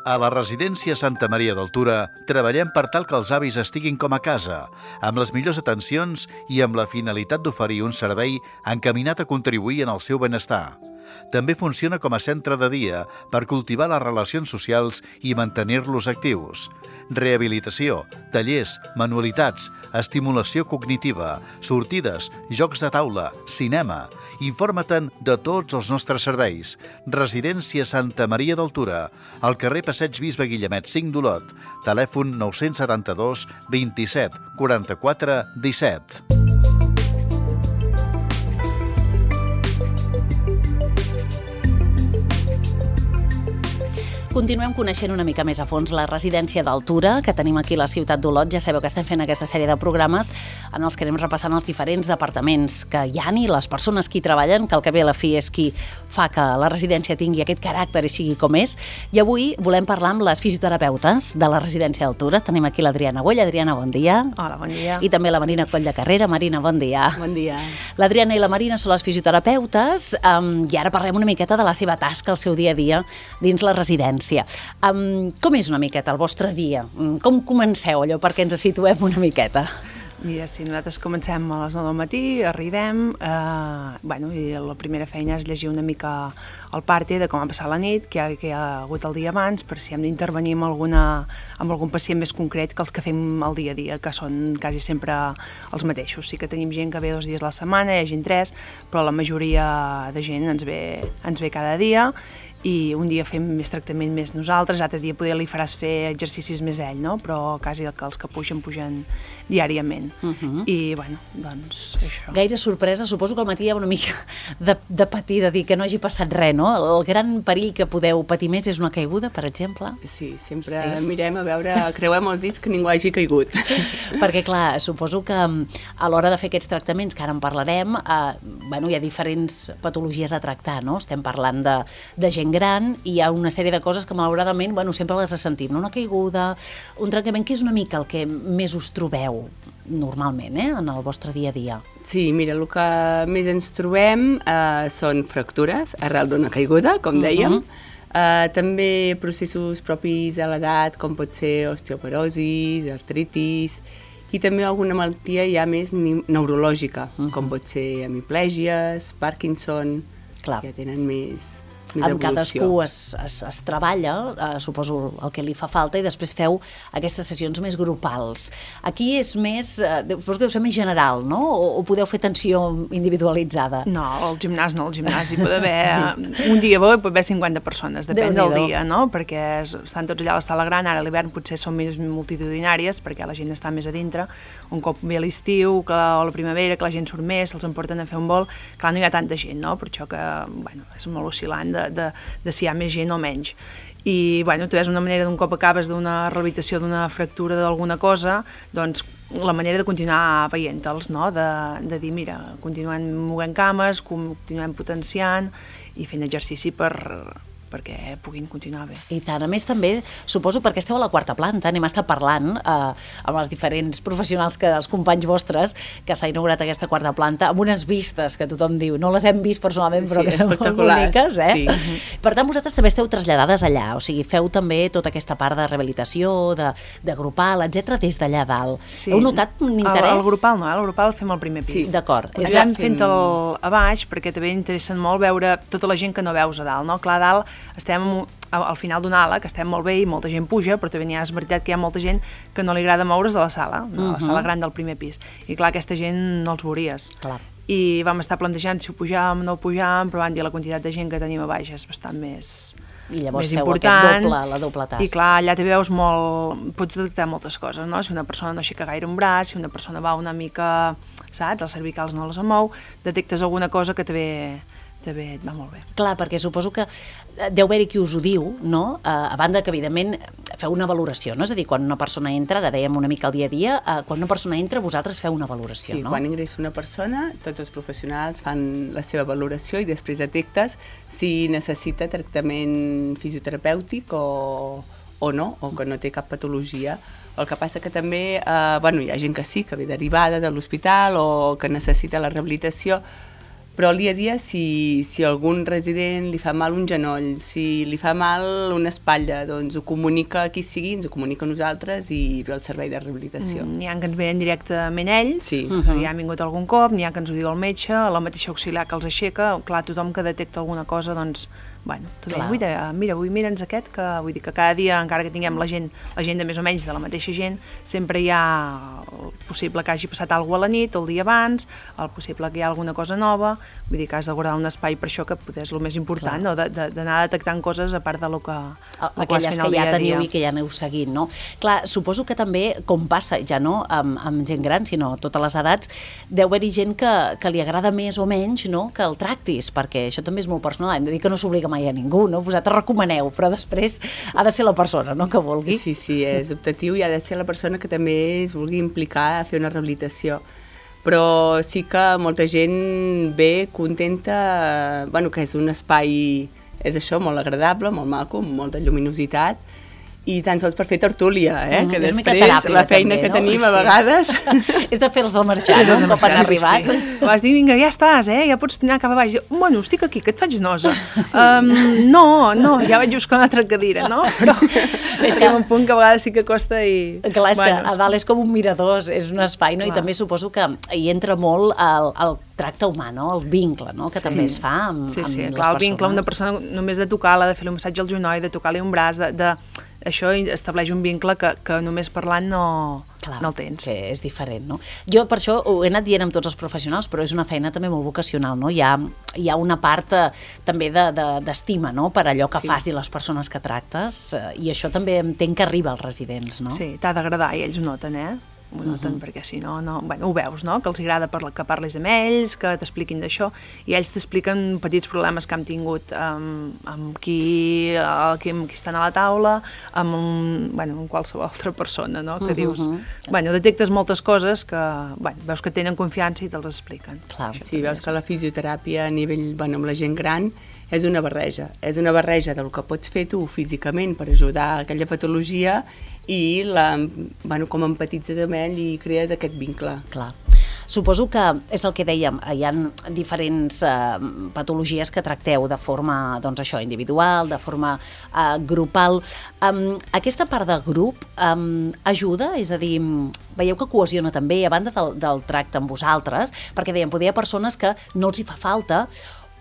A la residència Santa Maria d'Altura treballem per tal que els avis estiguin com a casa, amb les millors atencions i amb la finalitat d'oferir un servei encaminat a contribuir en el seu benestar. També funciona com a centre de dia per cultivar les relacions socials i mantenir-los actius. Rehabilitació, tallers, manualitats, estimulació cognitiva, sortides, jocs de taula, cinema. Informa't-en de tots els nostres serveis. Residència Santa Maria d'Altura, al carrer Passeig Bisbe Guillemet 5 d'Olot, telèfon 972 27 44 17. Continuem coneixent una mica més a fons la residència d'Altura que tenim aquí a la ciutat d'Olot. Ja sabeu que estem fent aquesta sèrie de programes en els que anem repassant els diferents departaments que hi ha i les persones que hi treballen, que al cap i a la fi és qui fa que la residència tingui aquest caràcter i sigui com és. I avui volem parlar amb les fisioterapeutes de la residència d'Altura. Tenim aquí l'Adriana Güell. Adriana, bon dia. Hola, bon dia. I també la Marina Coll de Carrera. Marina, bon dia. Bon dia. L'Adriana i la Marina són les fisioterapeutes i ara parlem una miqueta de la seva tasca, el seu dia a dia dins la residència. Com és una miqueta el vostre dia? Com comenceu allò perquè ens situem una miqueta? Mira, si nosaltres comencem a les 9 del matí, arribem, i la primera feina és llegir una mica el parte de com ha passat la nit, què hi ha hagut el dia abans, per si hem d'intervenir amb algun pacient més concret que els que fem el dia a dia, que són quasi sempre els mateixos. Sí que tenim gent que ve 2 dies a la setmana, hi ha gent 3, però la majoria de gent ens ve cada dia, i un dia fem més tractament més nosaltres, l'altre dia poder li faràs fer exercicis més ell, no? Però quasi que els que pugen diàriament. I, doncs, això. Gaire sorpresa, suposo que al matí hi ha una mica de patir, de dir que no hagi passat res, no? El gran perill que podeu patir més és una caiguda, per exemple? Sí, sempre mirem a veure, creuem els dits que ningú hagi caigut. Perquè, clar, suposo que a l'hora de fer aquests tractaments, que ara en parlarem, hi ha diferents patologies a tractar, no? Estem parlant de gent gran i hi ha una sèrie de coses que malauradament sempre les sentim, no? Una caiguda, un trencament, que és una mica el que més us trobeu normalment en el vostre dia a dia. Sí, mira, el que més ens trobem són fractures arrel d'una caiguda, com dèiem, també processos propis a l'edat, com pot ser osteoporosis, artritis, i també alguna malaltia ja més neurològica, com pot ser hemiplegies, Parkinson, que ja tenen més amb cadascú es treballa, suposo el que li fa falta, i després feu aquestes sessions més grupals. Aquí és més, suposo que deu ser més general, no? O podeu fer atenció individualitzada? No, al gimnàs no, al gimnàs hi pot haver un dia bo i pot haver 50 persones, depèn del dia, no? Perquè estan tots allà a la sala gran, ara a l'hivern potser són més multitudinàries, perquè la gent està més a dintre, un cop ve l'estiu o la primavera, que la gent surt més, se'ls emporten a fer un vol, clar, no hi ha tanta gent, no? Per això que, és molt oscil·lant de si hi ha més gent o menys. I, tu és una manera, d'un cop acabes d'una rehabilitació, d'una fractura d'alguna cosa, doncs la manera de continuar veient-los, no? De dir, mira, continuem movent cames, continuem potenciant i fent exercici perquè puguin continuar bé. I tant, a més també, suposo, perquè esteu a la 4ª planta, n'hem estat parlant amb els diferents professionals, els companys vostres, que s'ha inaugurat aquesta 4ª planta, amb unes vistes que tothom diu, no les hem vist personalment, però que són molt boniques, Sí. Per tant, vosaltres també esteu traslladades allà, o sigui, feu també tota aquesta part de rehabilitació, de grupal, etc des d'allà dalt. Sí. Heu notat un interès? El grupal no, el grupal fem al primer pis. Sí, d'acord. Estem fent-el a baix, perquè també interessen molt veure tota la gent que no veus a dalt, no? Clar, a dalt estem al final d'una ala, que estem molt bé i molta gent puja, però també és veritat que hi ha molta gent que no li agrada moure's de la sala, de la sala gran del primer pis. I clar, aquesta gent no els veuries. Clar. I vam estar plantejant si ho pujàvem o no ho pujàvem, però van dir la quantitat de gent que tenim a baix és bastant més I llavors més feu important. la doble tasca. I clar, allà te veus pots detectar moltes coses, no? Si una persona no aixeca gaire un braç, si una persona va una mica, saps, els cervicals no les mou, detectes alguna cosa que també et va molt bé. Clar, perquè suposo que deu haver-hi qui us ho diu, no? A banda que, evidentment, feu una valoració, no? És a dir, quan una persona entra, ara dèiem una mica el dia a dia, quan una persona entra, vosaltres feu una valoració, no? Sí, quan ingressa una persona, tots els professionals fan la seva valoració i després detectes si necessita tractament fisioterapèutic o no, o que no té cap patologia. El que passa que també hi ha gent que sí, que ve derivada de l'hospital o que necessita la rehabilitació, però al dia a dia, si algun resident li fa mal un genoll, si li fa mal una espatlla, doncs ho comunica a qui sigui, ens ho comunica a nosaltres i ve el servei de rehabilitació. N'hi ha que ens veien directament ells, Sí. ja han vingut algun cop, n'hi ha que ens ho diu el metge, la mateixa auxiliar que els aixeca, clar, tothom que detecta alguna cosa, doncs, bueno, tothom, mira, avui mira'ns aquest, que vull dir que cada dia, encara que tinguem la gent de més o menys de la mateixa gent, sempre hi ha el possible que hagi passat alguna cosa a la nit, el dia abans, el possible que hi ha alguna cosa nova, vull dir que has de guardar un espai per això, que potser és el més important, no? D'anar detectant coses a part de lo que aquelles que ja teniu i que ja aneu seguint, no? Clar, suposo que també, com passa, ja no amb gent gran, sinó totes les edats, deu haver-hi gent que li agrada més o menys, no?, que el tractis, perquè això també és molt personal, hem de dir que no s'obliga mai a ningú, no? Vosaltres recomaneu, però després ha de ser la persona, no?, que vulgui. Sí, és optatiu i ha de ser la persona que també es vulgui implicar a fer una rehabilitació. Però sí que molta gent ve contenta, bueno, que és un espai, és això, molt agradable, molt maco, amb molta lluminositat, i tan sols per fer tertúlia, que després teràpia, la feina també, que tenim a vegades... És de fer-los al marxar, no? Un cop han arribat. Vas dir, vinga, ja estàs, ja pots anar cap a baix. Bueno, estic aquí, que et faig nosa. No, ja vaig buscar una altra cadira, no? Però és que un punt que a vegades sí que costa i... Clar, és que a dalt és com un mirador, és un espai, no? I també suposo que hi entra molt el tracte humà, no? El vincle, no?, que també es fa amb les persones. Sí, clar, el vincle, una persona només de tocar-la, de fer-li un massatge al genoll, de tocar-li un braç, això estableix un vincle que només parlant no el tens. Que és diferent, no? Jo per això ho he anat dient amb tots els professionals, però és una feina també molt vocacional, no? Hi ha una part també d'estima, no?, per allò que fas i les persones que tractes, i això també entenc que arriba als residents, no? Sí, t'ha d'agradar i ells ho noten, ho noten, perquè si no, bueno, ho veus, no?, que els agrada que parlis amb ells, que t'expliquin d'això, i ells t'expliquen petits problemes que han tingut amb qui estan a la taula, amb qualsevol altra persona, no?, que dius... Bueno, detectes moltes coses que, veus que tenen confiança i te'ls expliquen. Clar, sí, veus que la fisioteràpia a nivell, amb la gent gran, és una barreja del que pots fer tu físicament per ajudar a aquella patologia i com empatitzes amb ell i crees aquest vincle. Clar. Suposo que és el que dèiem, hi ha diferents patologies que tracteu de forma, doncs això, individual, de forma grupal. Aquesta part de grup ajuda? És a dir, veieu que cohesiona també, a banda del tracte amb vosaltres, perquè dèiem, potser hi ha persones que no els hi fa falta,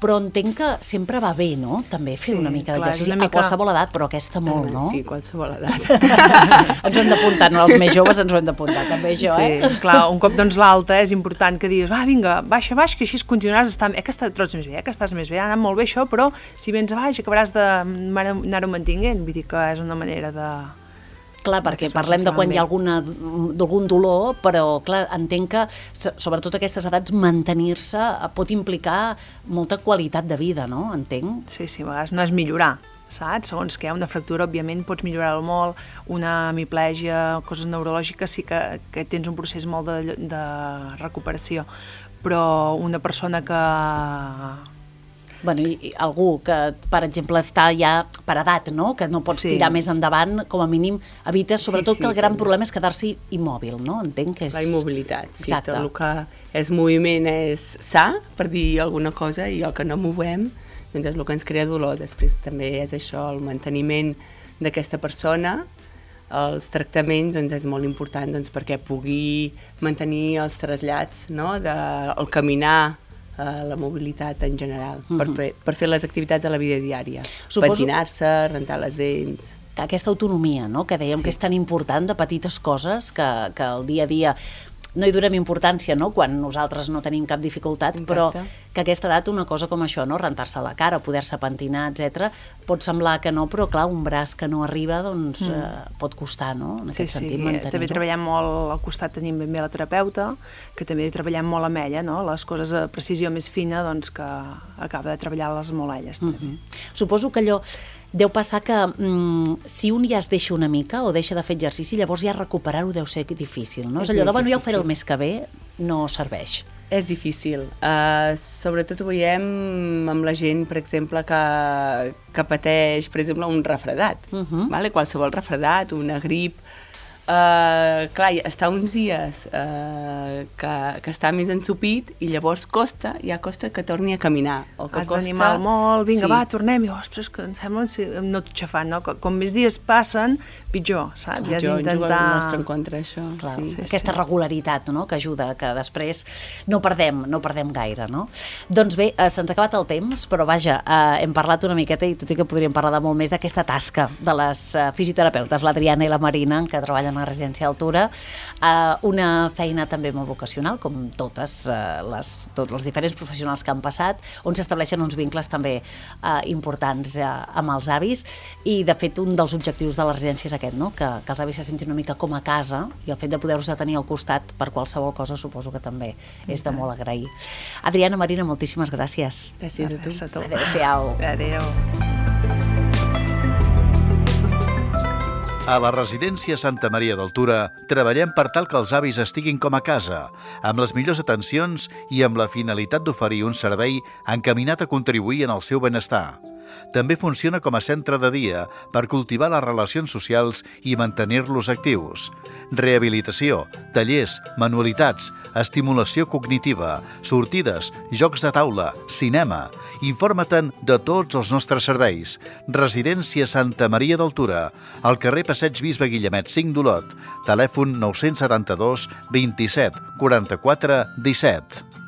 però entenc que sempre va bé, no?, també fer una mica d'exercici a qualsevol edat, però aquesta molt, no? Sí, qualsevol edat. Ens ho hem d'apuntar, no? Els més joves ens ho hem d'apuntar, també això, Sí, clar, un cop doncs l'alta és important que diguis, vinga, baixa, que així continuaràs estant... que trots més bé, que estàs més bé, ha anat molt bé això, però si vens a baix acabaràs d'anar-ho mantinguent, vull dir que és una manera de... Clar, perquè parlem de quan hi ha algun dolor, però clar, entenc que, sobretot a aquestes edats, mantenir-se pot implicar molta qualitat de vida, no? Entenc? Sí, a vegades no és millorar, saps? Segons que hi ha una fractura, òbviament, pots millorar-ho molt, una hemiplegia, coses neurològiques, sí que tens un procés molt de recuperació, però una persona que... Bueno, i algú que, per exemple, està ja per edat, no?, que no pots tirar més endavant, com a mínim evites, sobretot que el gran problema és quedar-se immòbil, no? Entenc que és... La immobilitat, sí, tot el que és moviment és sa, per dir alguna cosa, i el que no movem, doncs és el que ens crea dolor. Després també és això, el manteniment d'aquesta persona, els tractaments, doncs és molt important perquè pugui mantenir els trasllats, no?, el caminar, la mobilitat en general, per fer les activitats de la vida diària. Patinar-se, rentar les dents... Aquesta autonomia, no?, que dèiem que és tan important, de petites coses que el dia a dia no hi donem importància, no?, quan nosaltres no tenim cap dificultat, però que a aquesta edat una cosa com això, no?, rentar-se la cara, poder-se pentinar, etc., pot semblar que no, però clar, un braç que no arriba, doncs pot costar, no?, en aquest sentit mantenir-ho. També treballem molt al costat, tenim ben bé la terapeuta, que també treballem molt amb ella, no?, les coses a precisió més fina, doncs que acaba de treballar-les molt elles. Suposo que allò deu passar que si un ja es deixa una mica o deixa de fer exercici, llavors ja recuperar-ho deu ser difícil, no? És allò de, ja ho faré el mes que ve, no serveix. És difícil. Sobretot ho veiem amb la gent, per exemple, que pateix, per exemple, un refredat. Qualsevol refredat, una grip, clar, està uns dies que està més ensupit i llavors costa que torni a caminar. O que has d'animar molt, vinga, va, tornem, i ostres, que em sembla que em noto xafant, no? Com més dies passen, pitjor, saps? I has d'intentar... el nostre en contra, això. Clar, aquesta regularitat, no?, que ajuda, que després no perdem gaire, no? Doncs bé, se'ns ha acabat el temps, però vaja, hem parlat una miqueta, i tot i que podríem parlar de molt més, d'aquesta tasca de les fisioterapeutes, l'Adriana i la Marina, que treballen a la residència Altura, una feina també molt vocacional, com tots els diferents professionals que han passat, on s'estableixen uns vincles també importants amb els avis, i de fet un dels objectius de la residència és aquest, no?, que els avis se sentin una mica com a casa, i el fet de poder-los tenir al costat per qualsevol cosa suposo que també és de molt agrair. Adriana, Marina, moltíssimes gràcies. Gràcies a tu. Adéu-siau. Adéu. A la residència Santa Maria d'Altura treballem per tal que els avis estiguin com a casa, amb les millors atencions i amb la finalitat d'oferir un servei encaminat a contribuir en el seu benestar. També funciona com a centre de dia per cultivar les relacions socials i mantenir-los actius. Rehabilitació, tallers, manualitats, estimulació cognitiva, sortides, jocs de taula, cinema. Informa-te'n de tots els nostres serveis. Residència Santa Maria d'Altura, al carrer Passeig Bisbe Guillemet 5 d'Olot, telèfon 972 27 44 17.